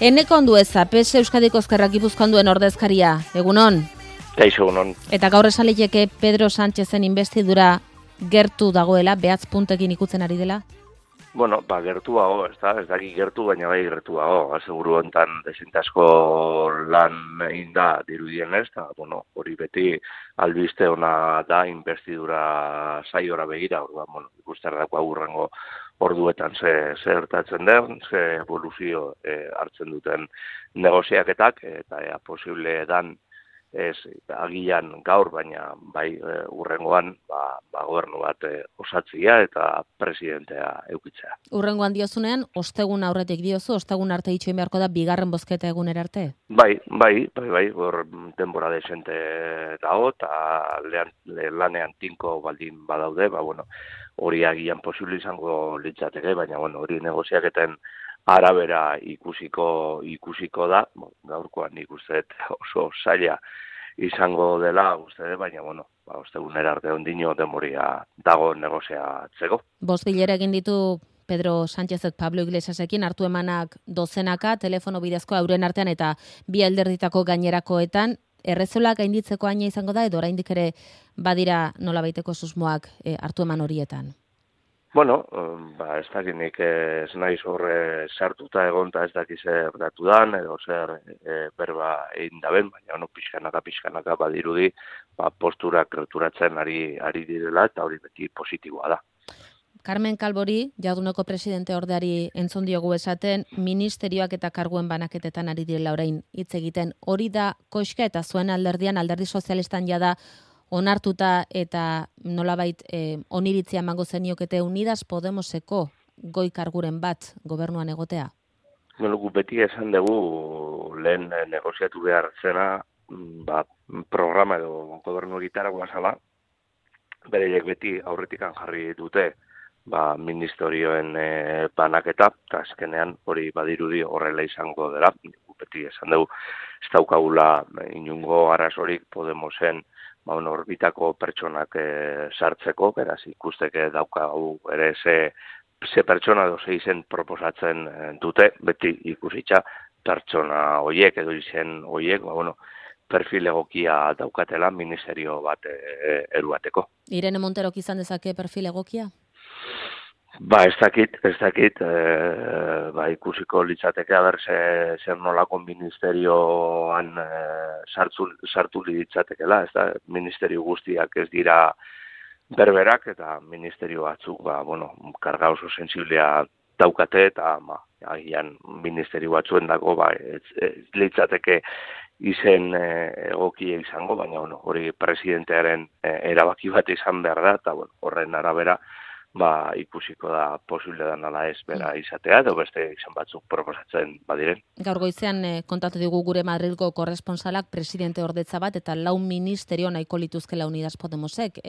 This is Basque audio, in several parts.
Eneko Andueza, PS Euskadiko Ezkerra Gipuzkoan duen ordezkaria, egunon? Kaixo, egunon. Eta gaur esan liteke Pedro Sánchezen inbestidura gertu dagoela, behatz puntekin ikutzen ari dela? Bueno, gertuago, ez daki gertu, baina bai gertuago. Aseguru hontan desintasko lan egin da dirudien ez, eta, hori beti albiste ona da inbestidura saiora begira, ikusten dako agurrengo orduetan ze gertatzen den, ze evoluzio hartzen duten negoziaketak, eta posible dan ez agian gaur, baina bai urrengoan gobernu bat osatzea eta presidentea eukitzea. Urrengoan diozunean, ostegun aurretik diozu, ostegun arte itxoin beharko da bigarren bozketa egunera arte? Bai, hor denbora desente dago, eta lanean tinko baldin badaude, hori agian posible izango litzateke, baina hori negoziaketen arabera ikusiko da, gaurkoan nik uste oso zaila izango dela, baina ostegunera arte ondino demoria dago negoziatzeko. Bost bilera egin ditu Pedro Sánchezek Pablo Iglesiasekin, hartu emanak dozenaka, telefono bidezko euren artean eta bi alderditako gainerakoetan, errezola gainditzeko aina izango da, edo oraindik ere badira nolabaiteko susmoak hartu eman horietan? Ez dakinik ez naiz horre sartuta egonta ez dakiz zer datu dan, edo zer berba egin daben, baina pixkanaka badirudi posturak gerturatzen ari direla, eta hori beti positiboa da. Carmen Calvori, Jarduneko presidente ordeari entzun diogu esaten, ministerioak eta karguen banaketetan ari direla orain hitz egiten. Hori da koxka eta zuen alderdian, alderdi sozialistan jada onartuta eta nolabait oniritzia emango zeniokete Unidas Podemoseko goi karguren bat gobernuan egotea? Gu beti esan dugu lehen negoziatu behar zena programa edo gobernu egitaragoa zala, bereiek beti aurretikan jarri dute ministerioen banaketa, eta azkenean hori badirudi horrela izango dela. Beti esan dugu ez daukagula inungo arazorik Podemosen orbitako pertsonak sartzeko, beraz ikusteke daukagu ere ze pertsona edo ze izen proposatzen dute, beti ikusitza pertsona horiek edo izen horiek, perfil egokia daukatela ministerio bat eruateko. Irene Monterok izan dezake perfil egokia? Ez dakit, ikusiko litzateke haber zer nolako ministerioan sartu litzatekela, ez da, ministerio guztiak ez dira berberak, eta ministerio batzuk, karga oso sensiblea daukate, eta agian ministerio batzuen dago, ez litzateke izen egokia izango, baina hori presidentearen erabaki bat izan behar da, eta horren arabera, ikusiko da posible dan ala ez bera izatea, edo beste izan batzuk proposatzen badiren. Gaur goizean kontatu digu gure Madrilgo korresponsalak presidente ordetza bat, eta 4 ministerio nahiko lituzkela Unidas Podemosek.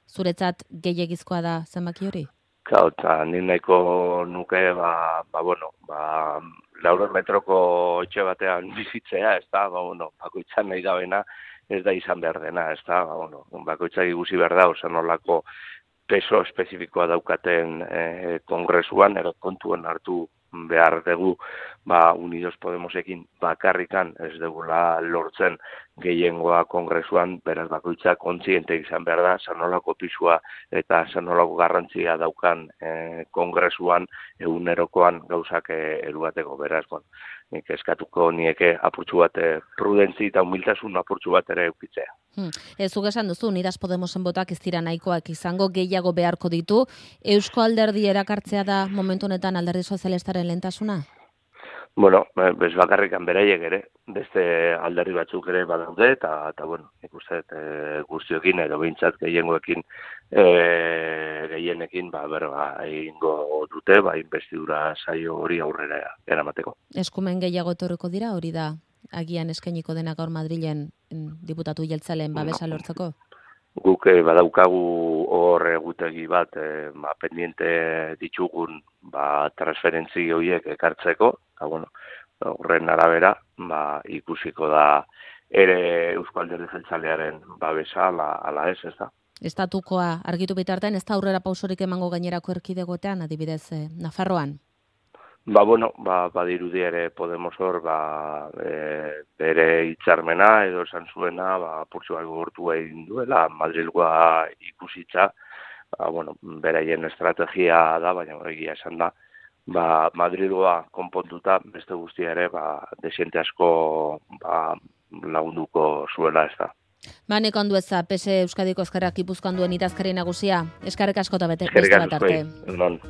Zuretzat gehiegizkoa da zenbaki hori? Eta nik nahiko nuke, 400 metroko etxe batean bizitzea, ez da, bakoitzan nahi dabena ez da izan behar dena, ez da, bakoitzak ikusi behar da, osan nolako peso espezifikoa daukaten kongresuan, edo kontuen hartu behar dugu Unidos Podemosekin bakarrikan ez dugula lortzen gehiengoa kongresuan, beraz bakoitzak kontziente izan behar da, zanolako pisua eta zanolako garrantzia daukan kongresuan egunerokoan gauzak eruateko, beraz, nik eskatuko nieke apurtxu bat prudentzi eta humiltasun apurtxu bat ere eukitzea. Zuk esan duzu, Unidas Podemosen botak ez dira nahikoak izango, gehiago beharko ditu. Eusko Alderdi erakartzea da momentu honetan Alderdi Sozialistaren lehentasuna? Bez bakarrikan beraiek ere, beste alderdi batzuk ere badaude, eta ikusten guztiokin edo behintzat gehienekin egingo dute, inbestidura saio hori aurrera eramateko. Eskumen gehiago etorriko dira, hori da agian eskainiko dena gaur Madrilen diputatu jeltzaleen babesa lortzeko? Guk badaukagu hor egutegi bat pendiente ditugun transferentzi horiek ekartzeko, horren arabera ikusiko da ere Eusko Alderdi Jeltzalearen babesa ala ez da. Estatukoa argitu bitartean, ez da aurrera pausorik emango gainerako erkidegoetan, adibidez Nafarroan? Badirudi ere Podemos hor, bere hitzarmena edo esan zuena, purtsu bat gogortu egin duela, Madrilgoa ikusitza, beraien estrategia da, baina egia esan da, Madrilgoa konpontuta, beste guztia ere, desiente asko lagunduko zuela ez da. Nik ondu eza, PS Euskadiko Ezkerrak Gipuzkoan duen idazkari nagusia, eskerrik asko eta beste Eskerrik bat arte. asko,